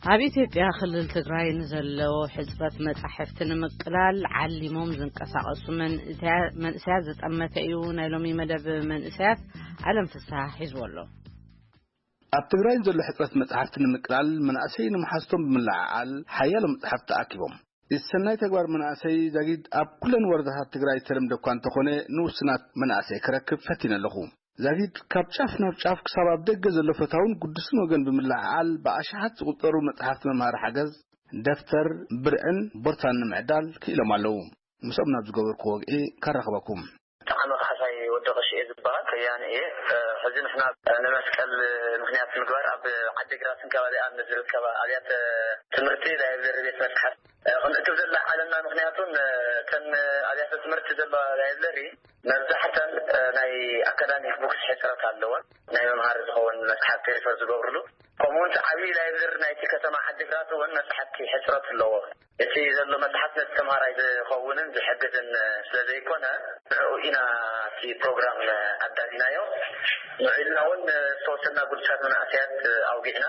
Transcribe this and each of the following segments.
ኣብ ኢትዮጵያ ክልል ትግራይ ንዘለዎ ሕፅረት መጻሕፍቲ ንምቅላል ዓሊሞም ዝንቀሳቐሱ መንእሰያ-፣ መንእሰያት ዝጠመተ እዩ። ናይ ሎሚ መደብ መንእሰያት ዓለም ፍስሓ ሒዝዎ ኣሎ። ኣብ ትግራይ ዘሎ ሕፅረት መጽሓፍቲ ንምቅላል መናእሰይ ንምሓዝቶም ብምልዓዓል ሓያሎ መጽሓፍቲ ተኣኪቦም። እቲ ሰናይ ተግባር መናእሰይ ዛጊድ ኣብ ኩለን ወረዳታት ትግራይ ዝተለምደ እኳ እንተኾነ ንውስናት መናእሰይ ክረክብ ፈቲነ ኣለኹ። ዛጊድ ካብ ጫፍ ናብ ጫፍ ክሳብ ኣብ ደገ ዘሎ ፈታውን ግዱስን ወገን ብምልዓዓል ብኣሽሓት ዝቑጸሩ መጽሓፍቲ መምሃሪ ሓገዝ፣ ደፍተር፣ ብርዕን ቦርሳን ንምዕዳል ክኢሎም ኣለዉ። ምስኦም ናብ ዝገበርኩ ወግዒ ካራኽበኩም። ብጣዕሚ ካሕሳይ ወዲ ቀሺ እየ ዝበሃል፣ ከያኒ እየ። እ፣ ሕዚ ንሕና፣ እ፣ ንመስቀል ምኽንያት ምግባር ኣብ ዓዲግራትን ከባቢኣን ንዝርከባ ኣብያተ ትምህርቲ ላይብረሪ ቤት መጽሓፍ፣ እ፣ ክንእክብ ዘለና ምኽንያቱን፣ እ፣ እተን ኣብያተ ትምህርቲ ዘለዋ ላይብረሪ መብዛሕተን፣ እ፣ ናይ ኣካዳሚክ ቡክስ ሕፅረት ኣለወን። ናይ መምሃሪ ዝኸውን መጽሓፍቲ ሪፈር ዝገብርሉ፣ ከምኡ እውን እቲ ዓብዪ ላይብረሪ ናይቲ ከተማ ዓዲግራት እውን መጽሓፍቲ ሕፅረት ኣለዎ። እቲ ዘሎ መጽሓፍ ነቲ ተምሃራይ ዝኸውንን ዝሕግዝን ስለ ዘይኮነ፣ ንዕኡ ኢና እቲ ፕሮግራም ኣዳሊናዮ። ንዑ ኢልና እውን ዝተወሰና ግዱሳት መናእሰያት ኣውጊዕና፣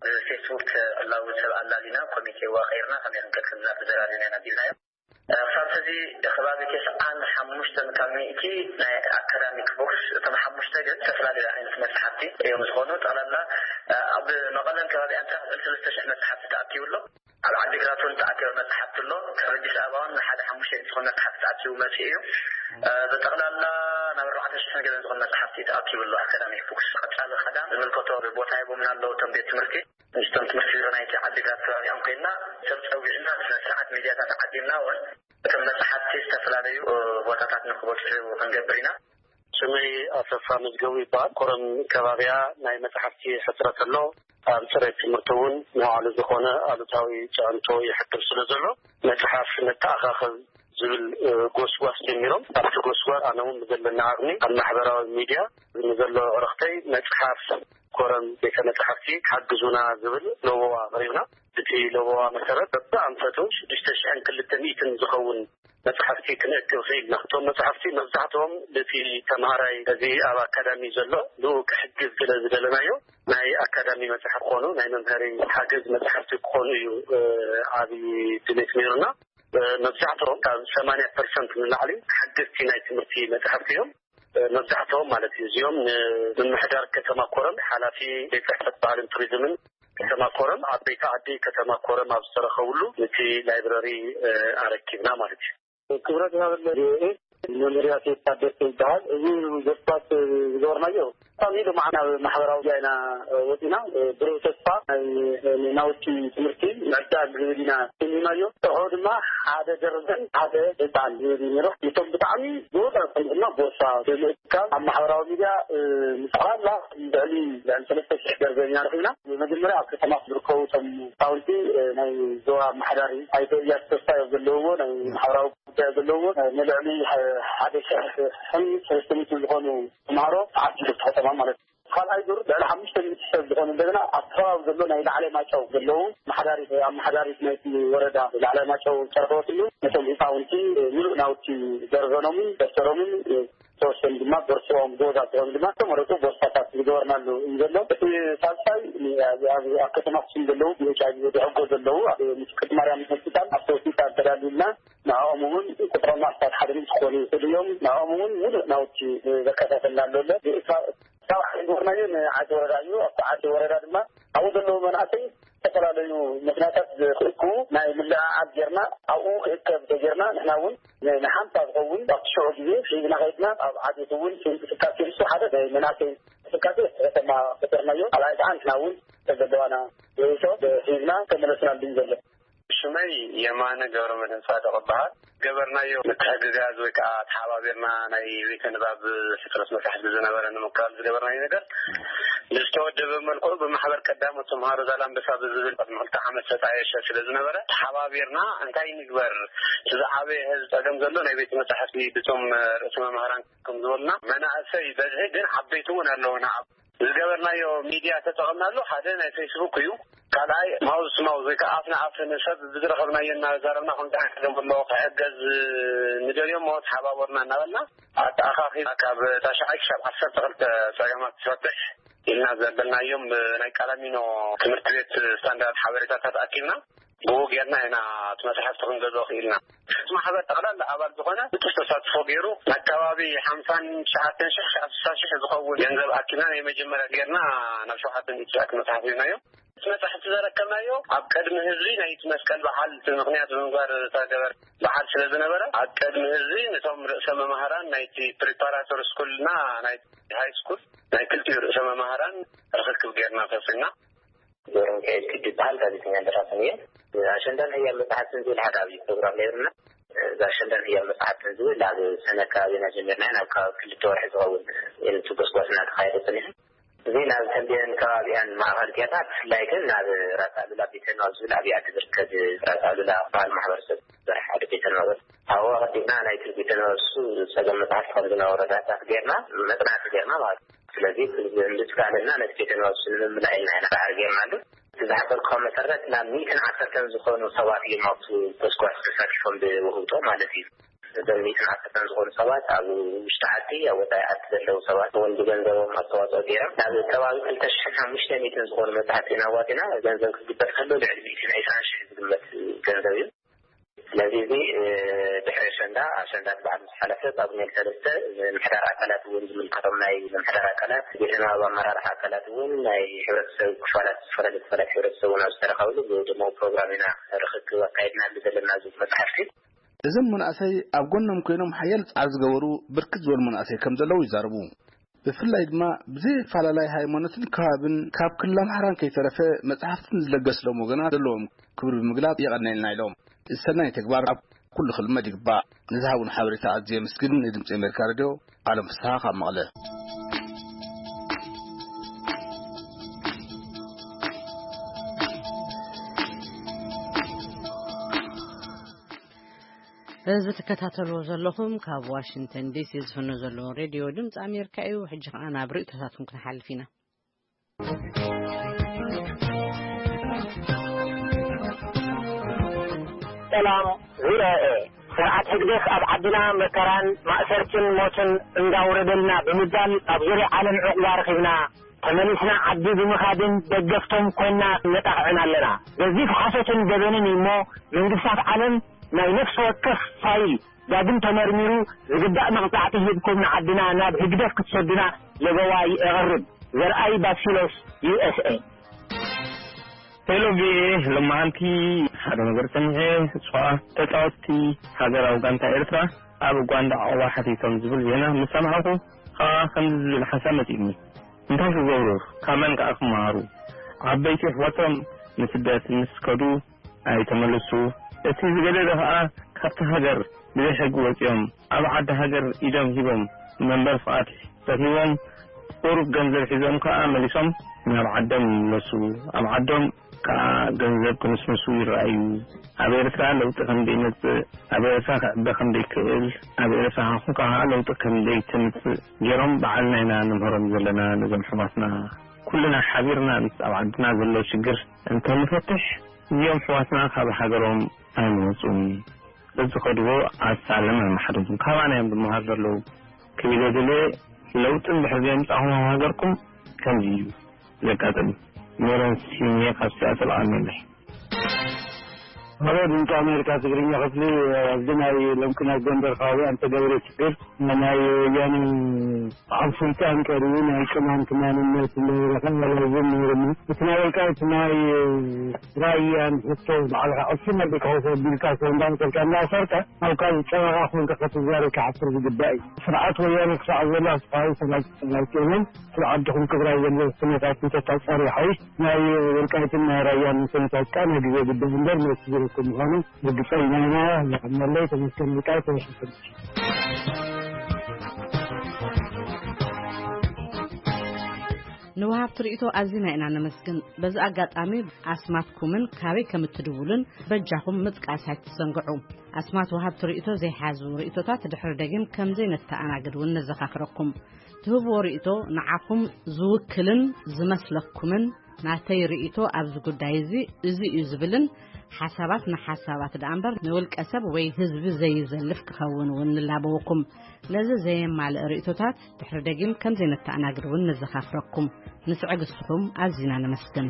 ብፌስቡክ ዕላዊ ሰብ ኣላሊና፣ ኮሚቴ ዋቐይርና፣ ከመይ ክንከድ ከም ዘለና ተዘራሪብና ኢና ኣቢልናዮ። ክሳብ ሕዚ ከባቢ ተስዓን ሓሙሽተን ካብ ሚእቲ ናይ ኣካዳሚክ ቡክስ፣ እቶም ሓሙሽተ ግን ዝተፈላለዩ ዓይነት መጽሓፍቲ እዮም ዝኾኑ። ጠቕላላ ኣብ መቐለን ከባቢኣን ጥራሕ ልዕሊ ሰለስተ ሽሕ መጽሓፍቲ ተኣኪቡ ኣሎ። ኣብ ዓዲግራት እውን ተኣኪቡ መጽሓፍቲ ኣሎ። ካብ ኣዲስ ኣበባ እውን ንሓደ ሓሙሽተ ዝኸውን መጽሓፍቲ ተኣኪቡ መጺኡ እዩ። እ፣ ብጠቕላላ ናብ ኣርባዕተ ሽሕ ገለን ዝኸውን መጽሓፍቲ ተኣኪቡ ኣሎ። ኣካዳሚክ ቡክስ ቀጻሊ ቀዳም ዝምልከቶ ቦታ ሂቦምና ኣለዉ እቶም ቤት ትምህርቲ። ምስቶም ትምህርቲ ቢሮ ናይቲ ዓዲግራት ከባቢኦም ኮይንና ሰብ ጸዊዕና ብስነ ስርዓት ሚድያታት ዓዲምና እውን እቶም መጽሓፍቲ ዝተፈላለዩ፣ እ፣ ቦታታት ንክበጽሑ ክንገብር ኢና። ስመይ ኣሰፋ መዝገቡ ይበሃል። ኮረም ከባቢያ ናይ መጽሓፍቲ ሕጽረት ኣሎ። ኣብ ጽሬት ትምህርቲ እውን ንባዕሉ ዝኾነ ኣሉታዊ ጽዕንቶ ይሕድር ስለ ዘሎ፣ መጽሓፍ ነተኣኻኸብ ዝብል፣ እ፣ ጎስጓስ ጀሚሮም። ኣብቲ ጎስጓስ ኣነ እውን ብዘለኒ ዓቕሚ ኣብ ማሕበራዊ ሚድያ ንዘሎ ዕረኽተይ መጽሓፍ ኮረም ቤተ መጻሕፍቲ ሓግዙና ዝብል ለበዋ ኣቕሪብና። እቲ ለበዋ መሰረት በብኣንፈቱ ሽዱሽተ ሽሕን ክልተ ሚእትን ዝኸውን መጽሓፍቲ ክንእክብ ክኢልና። እቶም መጽሓፍቲ መብዛሕትኦም እቲ ተምሃራይ እዚ ኣብ ኣካዳሚ ዘሎ ንኡ ክሕግዝ ስለ ዝደለናዮ፣ ናይ ኣካዳሚ መጽሓፍ ክኾኑ፣ ናይ መምሃሪ ሓገዝ መጽሓፍቲ ክኾኑ እዩ፣ እ፣ ዓብዪ ድሌት ነይሩና። እ፣ መብዛሕትኦም ካብ ሰማንያ ፐርሰንት ንላዕሊ ሓገዝቲ ናይ ትምህርቲ መጽሓፍቲ እዮም። እ፣ መብዛሕትኦም ማለት እዩ። እዚኦም ንምምሕዳር ከተማ ኮረም፣ ሓላፊ ቤት ጽሕፈት ባህልን ቱሪዝምን ከተማ ኮረም፣ ዓበይቲ ዓዲ ከተማ ኮረም ኣብ ዝተረኸብሉ ነቲ ላይብረሪ፣ እ፣ ኣረኪብና ማለት እዩ። ክብረት ይሃበለ። መምርያ ሴት ታደሰ ይበሃል። እዚ ዘስባት ዝገበርናዮ፣ ብጣዕሚ ሎማዓና ኣብ ማሕበራዊ ሚድያ ኢና ወፂና። ብሩህ ተስፋ ናይ ናውቲ ትምህርቲ ምዕዳል ዝብል ኢና ሰሚናዮ። ንዕኡ ድማ ሓደ ደርዘን ሓደ ህፃን ዝብል እዩ ነይሩ። እቶም ብጣዕሚ ዝወፀ ድማ ቦርሳ ብምእካብ ኣብ ማሕበራዊ ሚድያ፣ እ፣ ንጠቕላላ ልዕሊ፣ ልዕሊ ሰለስተ ሽሕ ደርዘን ኢና ረኺብና። መጀመርያ ኣብ ከተማ ዝርከቡ እቶም ህፃውንቲ፣ እ፣ ናይ ዞባ ኣመሓዳሪ ኣይተ እያሱ ተስፋ እዮም ዘለውዎ፣ ናይ ማሕበራዊ ጉዳይ ዘለውዎ፣ እ፣ ንልዕሊ ሓደ ሽሕን ሰለስተ ሚእትን ዝኾኑ ተምሃሮ ተዓዲሉ እቲ ከተማ ማለት እዩ። ካልኣይ ዙር ልዕሊ ሓሙሽተ ሚእቲ ሰብ ዝኾኑ እንደገና ኣብ ከባቢ ዘሎ ናይ ላዕላይ ማጨው ዘለዉ ኣመሓዳሪት፣ ኣመሓዳሪት ናይቲ ወረዳ ላዕላይ ማጨው ጨርፈወትሉ ነቶም ህፃውንቲ፣ እ፣ ምሉእ ናውቲ ደርዘኖምን ደፍተሮምን፣ እ፣ ተወሰኑ ድማ ቦርሶም፣ ጎዛ ተኾኑ ድማ ዝተመረፁ ቦርሳታት ዝገበርናሉ እዩ ዘሎ። እቲ ሳልሳይ ኣብ፣ ኣብ፣ ኣብ ከተማ ኣክሱም ዘለዉ ብኤች ኣይ ቪ ዝሕጎ ዘለዉ ኣብ ምልክት ማርያም ሆስፒታል ኣብቲ ሆስፒታል ተዳሊልና ንዕኦም እውን ቁፅሮም ኣስታት ሓደ ምስ ዝኾኑ ይኽእሉ እዮም። ንዕኦም እውን ሙሉእ ናውቲ ዘከታተልና ኣሎ። ካብ ዓዲ ወርናዮ ንዓዲ ወረዳ እዩ። ኣብቲ ዓዲ ወረዳ ድማ ኣብኡ ዘለዉ መናእሰይ ዝተፈላለዩ ምኽንያታት ክእክቡ ናይ ምልዕዓል ጌርና፣ ኣብኡ ክእከብ ተጌርና፣ ንሕና እውን ን-፣ ንሓምሳ ዝኸውን ኣብቲ ሽዑ ግዜ ሒዝና ከይድና፣ ኣብ ዓዴት እውን እንቅስቃሴ ንሱ ሓደ ናይ መናእሰይ እንቅስቃሴ ከተማ ፈጠርናዮ። ካልኣይ ከዓ ንሕና እውን ተዘለዋና ርእሶ ሒዝና ተመለስናሉ እዩ ዘሎ። ሽመይ የማነ ገብረ መድህን ጻድቕ እበሃል። ገበርናዮ ምትሕግጋዝ ወይ ከዓ ተሓባቢርና ናይ ቤተ ንባብ ሕጽረት መጻሕፍቲ ዝነበረ ንምክላል ዝገበርናዮ ነገር ብዝተወደበ መልክዑ ብማሕበር ቀዳሞት ተምሃሮ ዛላምበሳ ብዝብል ቅድሚ ክልተ ዓመት ዝተጣየሸ ስለ ዝነበረ ተሓባቢርና እንታይ ንግበር፣ እቲ ዝዓበየ ህዝቢ ጸገም ዘሎ ናይ ቤተ መጻሕፍቲ ብቶም ርእሰ መምህራን ከም ዝበሉና መናእሰይ በዝሒ ግን ዓበይቲ እውን ኣለውና። ዝገበርናዮ ሚድያ ተጠቐምናሉ ሓደ ናይ ፌስቡክ እዩ። ካልኣይ ማውዝ ቱ ማውዝ ወይ ከዓ ኣፍ ንኣፍ ንሰብ ብዝረኸብናዮ እናዛረብና ከምዚ ዓይነት ጸገም ኣሎ ክሕገዝ ንደልዮ እሞ ተሓባበሩና እናበልና ኣተኣኻኺብና ካብ ታሽዓይ ክሳብ ዓሰርተ ክልተ ጸገማት ትፈትሕ ኢና ዘበልናዮም። ብናይ ቃላሚኖ ትምህርቲ ቤት ስታንዳርድ ሓበሬታታት ኣኪብና ብኡ ጌርና ኢና እቲ መጽሓፍቲ ክንገዝኦ ክኢልና። እቲ ማሕበር ጠቕላላ ኣባል ዝኾነ ንጡፍ ተሳትፎ ገይሩ ንኣካባቢ ሓምሳን ትሽዓተን ሽሕ ክሳብ ስሳ ሽሕ ዝኸውን ገንዘብ ኣኪብና ናይ መጀመርያ ጌርና ናብ ሸውዓተ ሚእቲ ሽሕ ክነጽሓፍ ኢልናዮ። እቲ መጽሓፍቲ ዘረከብናዮ ኣብ ቅድሚ ህዝቢ ናይቲ መስቀል በዓል ምኽንያት ብምግባር ዝተገበረ በዓል ስለ ዝነበረ ኣብ ቅድሚ ህዝቢ ነቶም ርእሰ መማህራን ናይቲ ፕሪፓራቶሪ ስኩልና ናይ ሃይ ስኩል ናይ ክልቲኡ ርእሰ መማህራን ርኽክብ ጌርና ፈጺምና። ገብረሚካኤል ክዲ ይበሃል። ጋዜጠኛ ደራስን እየ። ኣሸንዳን ህያብ መጽሓፍትን ዝብል ሓደ ዓብዪ ፕሮግራም ነይሩና። እዚ ኣሸንዳን ህያብ መጽሓፍትን ዝብል ኣብ ሰነ ከባቢና ጀሚርና ናብ ከባቢ ክልተ ወርሒ ዝኸውን የንቱ ጎስጓስ እናተኻየደ ጸኒሑ። እዚ ናብ ተምቤን ከባቢኣን ማእኸል ጌርና፣ ብፍላይ ግን ናብ ራስ ኣሉላ ቤተ ንባብ ዝብል ኣብ ዓዲ ዝርከብ ራስ ኣሉላ በዓል ማሕበረሰብ ዝሰርሕ ሓደ ቤተ ንባብ፣ ኣብኡ ኣቐዲምና ናይቲ ቤተ ንባብ እሱ ጸገም መጽሓፍቲ ከም ዝነበሮ ዳህሳስ ጌርና፣ መጽናዕቲ ጌርና ማለት እዩ። ስለዚ እንድትካለና ነቲ ቤተ ንባብ እሱ ንምምላእ ኢልና ኢና ዳዕሪ ጌርናሉ። እቲ ዝሓበርኩኻ መሰረት ናብ ሚእትን ዓሰርተን ዝኾኑ ሰባት እዮም ኣብቲ ጎስጓስ ተሳቲፎም ብውህብቶ ማለት እዩ። እዞም ሚእትን ዓሰርተን ዝኾኑ ሰባት ኣብ ውሽጢ ዓዲ፣ ኣብ ወጻኢ ዓዲ ዘለዉ ሰባት እውን ብገንዘቦም ኣስተዋጽኦ ገይሮም ናብ ከባቢ ክልተ ሽሕን ሓሙሽተ ሚእትን ዝኾኑ መጽሓፍቲ ኢና ኣዋጺና። ገንዘብ ክግበር ከሎ ልዕሊ ሚእትን ዕስራን ሽሕ ዝግመት ገንዘብ እዩ። ስለዚ እዚ ድሕሪ ኣሸንዳ፣ ኣሸንዳ በዓል ምስ ሓለፈ ጳጉሜን ሰለስተ ምምሕዳር ኣካላት እውን ዝምልከቶም ናይ ምምሕዳር ኣካላት፣ ቤተ ንባብ ኣመራርሓ ኣካላት እውን ናይ ሕብረተሰብ ክፋላት፣ ዝተፈላለዩ ክፋላት ሕብረተሰብ እውን ኣብ ዝተረኸብሉ ብድሙቕ ፕሮግራም ኢና ርኽክብ ኣካይድናሉ ዘለና እዚ መጽሓፍቲ። እዞም መናእሰይ ኣብ ጎኖም ኮይኖም ሓያል ጻዕሪ ዝገበሩ ብርክት ዝበሉ መናእሰይ ከም ዘለዉ ይዛረቡ። ብፍላይ ድማ ብዘይ ኣፈላላይ ሃይማኖትን ከባብን ካብ ክልል ኣምሓራን ከይተረፈ መጽሓፍትን ዝለገስሎም ወገናት ዘለዎም ክብሪ ብምግላጽ የቐነልና ኢሎም። እዚ ሰናይ ተግባር ኣብ ኩሉ ክልመድ ይግባእ። ንዝሃቡን ሓበሬታ ኣዝየ የመስግን። ንድምጺ ኣሜሪካ ሬድዮ ዓለም ፍስሃ ካብ መቐለ። እዚ ትከታተልዎ ዘለኹም ካብ ዋሽንግተን ዲሲ ዝፍኖ ዘሎ ሬድዮ ድምፂ ኣሜሪካ እዩ። ሕጂ ኸዓ ናብ ርእይቶታትኩም ክንሓልፍ ኢና። ሰላም ዙርያኤ፣ ስርዓት ህግደፍ ኣብ ዓድና መከራን ማእሰርትን ሞትን እንዳውረደልና ብምባል ኣብ ዙርያ ዓለም ዕቑባ ረኺብና፣ ተመሊስና ዓዲ ብምኻድን ደገፍቶም ኮይና ነጣቕዕን ኣለና። ገዚፍ ሓሶትን ገበንን እዩ እሞ መንግስታት ዓለም ናይ ነፍሲ ወከፍ ፋይል ዳግም ተመርሚሩ ዝግባእ መቕጻዕቲ ሂብኩም ንዓድና ናብ ህግደፍ ክትሰዱና ለበዋ የቕርብ። ዘርኣይ ባሲሎስ፣ ዩ ኤስ ኤ። ሄሎ ቪ ኦኤ፣ ሎማዓንቲ ሓደ ነገር ሰሚዐ። እሷ ተጻወትቲ ሃገራዊ ጋንታ ኤርትራ ኣብ ኡጋንዳ ዕቑባ ሓቲቶም ዝብል ዜና ምስ ሰማዕኹ ኸኣ ከምዚ ዝብል ሓሳብ መጺኡኒ። እንታይ ክገብሩ፣ ካብ መን ከኣ ክመሃሩ? ዓበይቲ ኣሕዋቶም ንስደት ምስ ከዱ ኣይተመለሱ። እቲ ዝገደደ ከኣ ካብቲ ሃገር ብዘይ ሕጊ ወጺኦም ኣብ ዓዲ ሃገር ኢዶም ሂቦም መንበሪ ፍቓድ ረኺቦም ቁሩብ ገንዘብ ሒዞም ከኣ መሊሶም ናብ ዓዶም ይምለሱ። ኣብ ዓዶም ከኣ ገንዘብ ክንስንሱ ይረኣዩ። ኣብ ኤርትራ ለውጢ ከም ዘይመጽእ፣ ኣብ ኤርትራ ክዕበ ከም ዘይክእል፣ ኣብ ኤርትራ ከኣ ለውጢ ከም ዘይተምጽእ ገይሮም ባዕልና ኢና ንምህሮም ዘለና ነዞም ኣሕዋትና። ኩልና ሓቢርና ምስ ኣብ ዓድና ዘሎ ሽግር እንተንፈትሕ እዚኦም ኣሕዋትና ካብ ሃገሮም ኣይምወጹን። እዚ ከድቦ ኣሳለም ኣይመሓደጉን። ካባና እዮም ዝመሃር ዘለዉ ክብል እየ ደልየ። ለውጢ እንድሕር ዘየምጻእኹም ኣብ ሃገርኩም ከምዚ እዩ ዘጋጥም። ሜሮን ሲሜ ካብ ሲያትል ኣሜንለይ። ሄሎ ድምፂ ኣሜሪካ ትግርኛ ክፍሊ፣ ኣብዚ ናይ ሎምቅነ ጎንደር ከባቢ ኣንተ ገብረ ችግር ናይ ወያነ ኣብ ስልጣን ቀሪቡ ናይ ቅማንት ማንነት እንዳበረኸ ኣላዝም ነይርና። እቲ ናይ ወልቃይት ናይ ራያን ሕቶ ባዕልኻ ዕፍን ኣቢልካ ኮፍ ኣቢልካ ኮ እንዳመሰልካ እንዳሰርካ ኣብ ካልእ ጨረቓ ኮንካ ክትዛረብ ክሓፍር ዝግባእ እዩ። ስርዓት ወያነ ክሳዕ ዘሎ ኣስፋዊ ሰላም ኣይኮነን። ስለ ዓድኹም ክብራ ዘሎ ኩነታት እንተታጻሪ ሓይሽ ናይ ወልቃይትን ናይ ራያን ኩነታት ቃ ናይ ግዜ ጉዳይ እምበር መልሲ ዝረክብ ምዃኑ ርግጸኛ ኢና። የቐንየለይ። ተመስገን ወልቃይት ተመስገን። ንወሃብቲ ርእይቶ ኣዚና ኢና ነመስግን። በዚ ኣጋጣሚ ኣስማትኩምን ካበይ ከም እትድውሉን በጃኹም ምጥቃስ ኣይትዘንግዑ። ኣስማት ወሃብቲ ርእይቶ ዘይሓዙ ርእይቶታት ድሕሪ ደጊም ከም ዘይነተኣናግድ እውን ነዘኻኽረኩም። ትህብዎ ርእይቶ ንዓኹም ዝውክልን ዝመስለኩምን ናተይ ርእይቶ ኣብዚ ጉዳይ እዚ፣ እዚ እዩ ዝብልን ሓሳባት ንሓሳባት ደኣ እምበር ንውልቀ ሰብ ወይ ህዝቢ ዘይዘልፍ ክኸውን እውን ንላበወኩም። ነዚ ዘየማልእ ርእይቶታት ድሕሪ ደጊም ከም ዘይነተኣናግድ እውን ነዘኻኽረኩም። ንስዕግ እስኹም ኣዚና ነመስግን።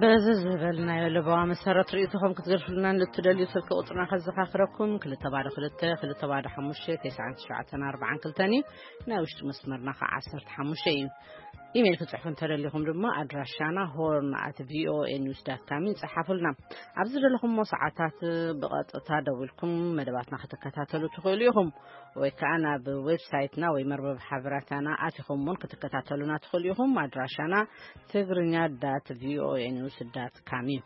በዚ ዝበልናዮ ለበዋ መሰረት ርእይቶኹም ክትገድፉልና ንእትደልዩ ስልኪ ቁጽርና ከዘኻኽረኩም፣ ክልተ ባዶ ክልተ፣ ክልተ ባዶ ሓሙሽተ፣ ተስዓን ትሽዓተን ኣርባዓን ክልተን እዩ። ናይ ውሽጢ መስመርና ከዓ ዓሰርተ ሓሙሽተ እዩ። ኢሜይል ክትጽሕፉ እንተደሊኹም ድማ ኣድራሻና ሆርን ኣት ቪኦኤ ኒውስ ዳት ካም እዩ፣ ጸሓፉልና። ኣብ ዝደለኹምዎ ሰዓታት ብቐጥታ ደዊልኩም መደባትና ክትከታተሉ ትኽእሉ ኢኹም። ወይ ከዓ ናብ ዌብሳይትና ወይ መርበብ ሓበራታና ኣቲኹም እውን ክትከታተሉና ትኽእሉ ኢኹም። ኣድራሻና ትግርኛ ዳት ቪኦኤ ኒውስ ዳት ካም እዩ።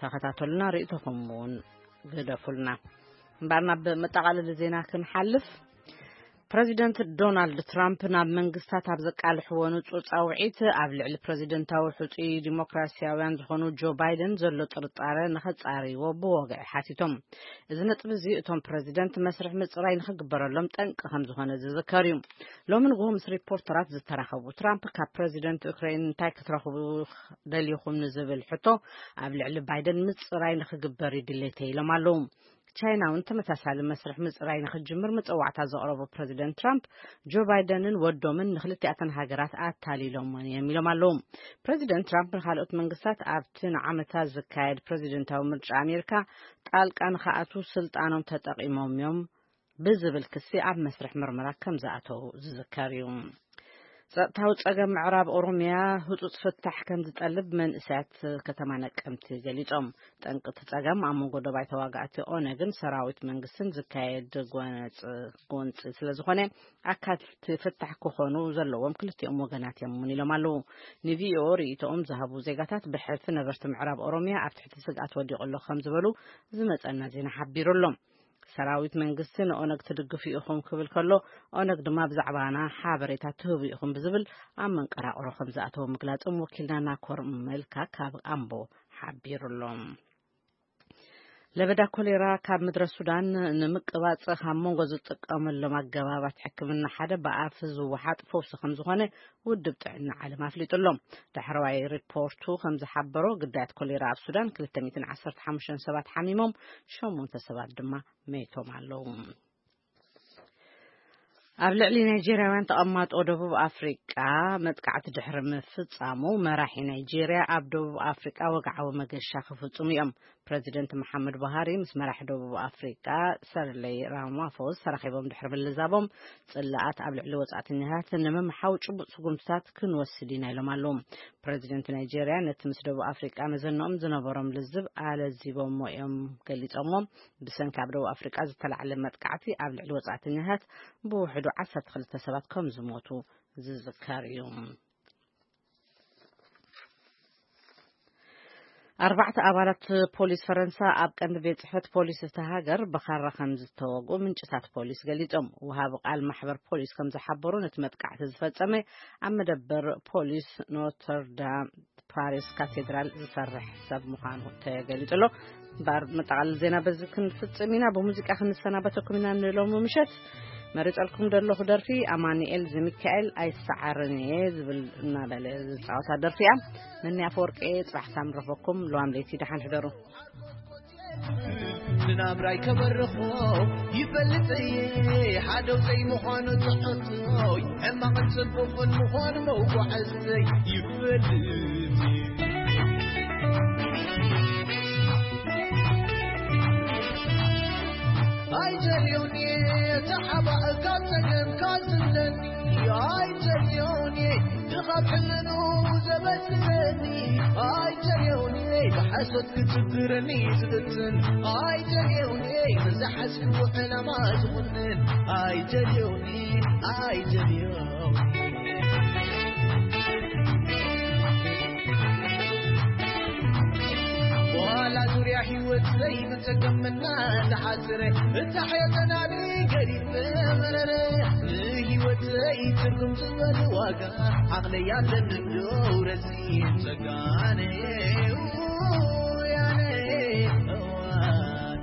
ተኸታተሉና፣ ርእይቶኹም እውን ግደፉልና። እምበኣር ናብ መጠቓለሊ ዜና ክንሓልፍ። ፕረዚደንት ዶናልድ ትራምፕ ናብ መንግስታት ኣብ ዘቃልሕዎ ንጹር ጻውዒት ኣብ ልዕሊ ፕረዚደንታዊ ሕጹይ ዲሞክራሲያውያን ዝኾኑ ጆ ባይደን ዘሎ ጥርጣረ ንኸጻርይዎ ብወግዒ ሓቲቶም። እዚ ነጥቢ እዚ እቶም ፕረዚደንት መስርሕ ምጽራይ ንኽግበረሎም ጠንቂ ከም ዝኾነ ዝዝከር እዩ። ሎሚ ንግሆ ምስ ሪፖርተራት ዝተራኸቡ ትራምፕ ካብ ፕረዚደንት ዩክሬን እንታይ ክትረኽቡ ደሊኹም ንዝብል ሕቶ ኣብ ልዕሊ ባይደን ምጽራይ ንኽግበር ይድሌተ ኢሎም ኣለዉ። ቻይና እውን ተመሳሳሊ መስርሕ ምጽራይ ንኽትጅምር መጸዋዕታ ዘቕረቡ ፕረዚደንት ትራምፕ ጆ ባይደንን ወዶምን ንክልቲኣተን ሃገራት ኣታሊሎምን እዮም ኢሎም ኣለዉ። ፕረዚደንት ትራምፕ ንኻልኦት መንግስታት ኣብቲ ንዓመታት ዝካየድ ፕረዚደንታዊ ምርጫ ኣሜሪካ ጣልቃ ንኽኣትዉ ስልጣኖም ተጠቒሞም እዮም ብዝብል ክሲ ኣብ መስርሕ ምርመራ ከም ዝኣተዉ ዝዝከር እዩ። ጸጥታዊ ጸገም ምዕራብ ኦሮሚያ ህጹጽ ፍታሕ ከም ዝጠልብ መንእሰያት ከተማ ነቀምቲ ገሊጾም። ጠንቂ እቲ ጸገም ኣብ መንጎ ደባይ ተዋጋእቲ ኦነግን ሰራዊት መንግስትን ዝካየድ ጎነጽ-፣ ጎንጺ ስለ ዝኾነ፣ ኣካል እቲ ፍታሕ ክኾኑ ዘለዎም ክልቲኦም ወገናት እዮም እውን ኢሎም ኣለዉ። ንቪኦኦ ርእይቶኦም ዝሃቡ ዜጋታት፣ ብሕልፊ ነበርቲ ምዕራብ ኦሮሚያ ኣብ ትሕቲ ስግኣት ወዲቑ ኣሎ ከም ዝበሉ ዝመጸና ዜና ሓቢሩ ኣሎ። ሰራዊት መንግስቲ ንኦነግ ትድግፉ ኢኹም ክብል ከሎ፣ ኦነግ ድማ ብዛዕባና ሓበሬታ ትህቡ ኢኹም ብዝብል ኣብ መንቀራቕሮ ከም ዝኣተወ ምግላጾም ወኪልና ናኮር መልካ ካብ ኣምቦ ሓቢሩ ኣሎ። ለበዳ ኮሌራ ካብ ምድረ ሱዳን ንምቅባጽ ካብ መንጎ ዝጥቀመሎም ኣገባባት ሕክምና ሓደ ብኣፍ ዝወሓጥ ፈውሲ ከም ዝኾነ ውድብ ጥዕና ዓለም ኣፍሊጡ ኣሎ። ዳሕረዋይ ሪፖርቱ ከም ዝሓበሮ፣ ግዳያት ኮሌራ ኣብ ሱዳን ክልተ ሚእትን ዓሰርተ ሓሙሽተን ሰባት ሓሚሞም፣ ሸሞንተ ሰባት ድማ መይቶም ኣለዉ። ኣብ ልዕሊ ናይጄርያውያን ተቐማጦ ደቡብ ኣፍሪቃ መጥቃዕቲ ድሕሪ ምፍጻሙ፣ መራሒ ናይጄርያ ኣብ ደቡብ ኣፍሪቃ ወግዓዊ መገሻ ክፍጽሙ እዮም። ፕረዚደንት መሓመድ ቡሃሪ ምስ መራሒ ደቡብ ኣፍሪቃ ሰርለይ ራማፎስ ተራኺቦም ድሕሪ ምልዛቦም፣ ጽላኣት ኣብ ልዕሊ ወጻእተኛታት ንምምሓው ጭቡጥ ስጉምትታት ክንወስድ ኢና ኢሎም ኣለዉ። ፕረዚደንት ናይጄርያ ነቲ ምስ ደቡብ ኣፍሪቃ መዘንኦም ዝነበሮም ልዝብ ኣለዚቦሞ እዮም ገሊጾሞ። ብሰንኪ ኣብ ደቡብ ኣፍሪቃ ዝተላዕለ መጥቃዕቲ ኣብ ልዕሊ ወጻእተኛታት ብውሕዱ ዓሰርተ ክልተ ሰባት ከም ዝሞቱ ዝዝከር እዩ። ኣርባዕተ ኣባላት ፖሊስ ፈረንሳ ኣብ ቀንዲ ቤት ጽሕፈት ፖሊስ እታ ሃገር ብኻራ ከም ዝተወግኡ ምንጭታት ፖሊስ ገሊጾም። ወሃቢ ቃል ማሕበር ፖሊስ ከም ዝሓበሩ፣ ነቲ መጥቃዕቲ ዝፈጸመ ኣብ መደበር ፖሊስ ኖተርዳም ፓሪስ ካቴድራል ዝሰርሕ ሰብ ምዃኑ ተገሊጹ ኣሎ። እምበኣር መጠቓለሊ ዜና በዚ ክንፍጽም ኢና። ብሙዚቃ ክንሰናበተኩም ኢና ንሎሚ ምሸት። መሪጸልኩም ዘለኹ ደርፊ ኣማኑኤል ዘሚካኤል ኣይሰዓርን እየ ዝብል እናበለ ዝጻወታ ደርፊ እያ። ነኒ ኣፈወርቂ እየ። ጽባሕ ሳም ረኸበኩም። ለዋም ለይቲ ደሓን ሕደሩ። ንናብራይ ከበርኾ ይፈልጥ እየ፣ ሓደው ዘይምዃኑ ትሕቶይ፣ ሕማቕን ጽቡቕን ምዃኑ መጓዓዝተይ ይፈልጥ እየ። ኣይደልዮን እየ ተሓባእ ካብ ጸገም ካብ ዝብለኒ፣ ኣይደልዮን እየ ካብ ሕልኑ ዘበስለኒ፣ ኣይደልዮን እየ ብሓሶት ክትብረኒ ዝፍትን፣ ኣይደልዮን እየ ንዝሓዝክዎ ዕላማ ዝኹንን፣ ኣይደልዮን እየ፣ ኣይደልዮን እየ። ዋላ ዙርያ ህይወት ዘይብጸገምና ዝሓጽረ፣ እታ ሕየተናኒ ገዲፈ መረረ። ንህይወተይ ትርጉም ዝበል ዋጋ ዓቕለይ ኣለኒ ዶ ረሲን ጸጋነ ውያነ እዋን።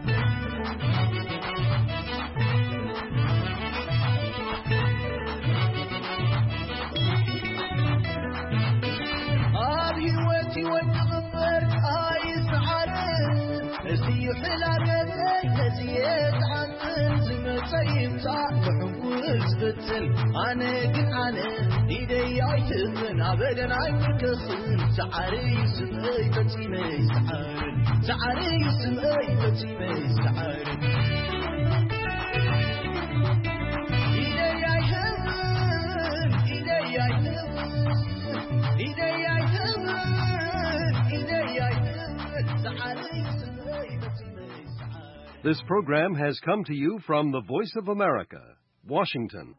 ዝፍትን ኣነ ግን ኣነ ኢደይ ኣይትእምን ኣበደን ኣይትከስን ሰዓሪ ይስምእይ ፈጺመይ ሰዓሪ ሰዓሪ ይስምእይ ፈጺመይ ሰዓሪ ኢደይ ኣይትእምን ኢደይ ኣይትእምን ኢደይ ኣይትእምን ኢደይ ኣይትእምን ሰዓሪ ይስምእይ ፈጺመይ ሰዓሪ This program has come to you from the Voice of America, Washington.